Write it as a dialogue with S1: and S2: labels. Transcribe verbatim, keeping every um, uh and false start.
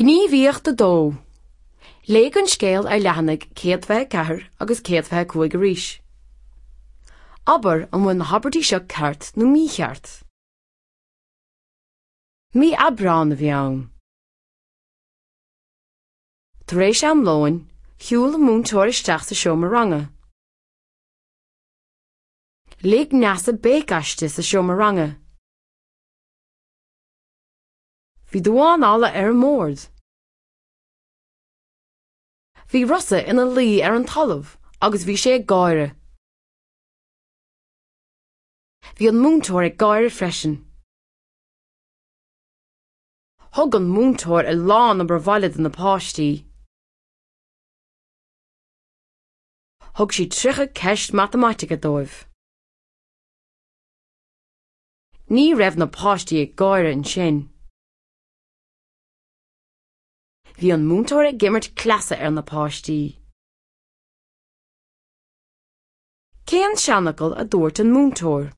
S1: Gníomhaíocht a dó. Léigh an scéal ar leathanaigh céad fiche ceathair agus céad fiche cúig arís. Abair an bhfuil na habairtí seo ceart nó mícheart. Mí Aibreán a bhí ann. Tar éis am lóin, shiúil an múinteoir isteach sa seomra ranga. Lig Neasa béic aisti sa seomra ranga. Bhí damhán alla ar an mbord. Bhí Rossa ina luí ar an talamh agus bhí sé ag gáire. Bhí an múinteoir ag gáire freisin. Thug an múinteoir a lán obair bhaile do na páistí. Thug sí tríocha ceist matamaitice dóibh. Ní raibh na páistí ag gáire ansin. Bhí an múinteoir ag imirt cleasa ar na páistí. Cén seanfhocal a dúirt an múinteoir?